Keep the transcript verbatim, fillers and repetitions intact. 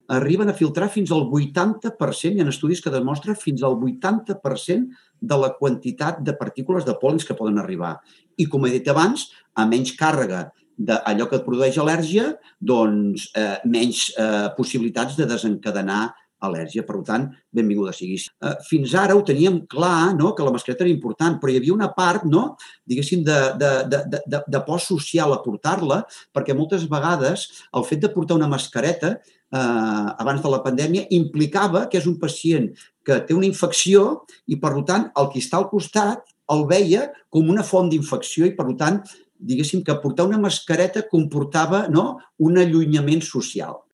arriben a filtrar fins al vuitanta per cent, hi ha estudis que demostren fins al vuitanta per cent de la quantitat de partícules de pol·lens que poden arribar. I, com he dit abans, a menys càrrega d'allò que et produeix al·lèrgia, doncs eh, menys eh, possibilitats de desencadenar al·lèrgia. Per tant, benvinguda sigui. Eh, fins ara ho teníem clar, no?, que la mascareta era important, però hi havia una part, no?, diguéssim, de, de, de, de, de por social a portar-la, perquè moltes vegades el fet de portar una mascareta eh, abans de la pandèmia implicava que és un pacient que té una infecció i, per tant, el qui està al costat el veia com una font d'infecció i, per tant, diguéssim que portar una mascareta comportava, no?, un allunyament social.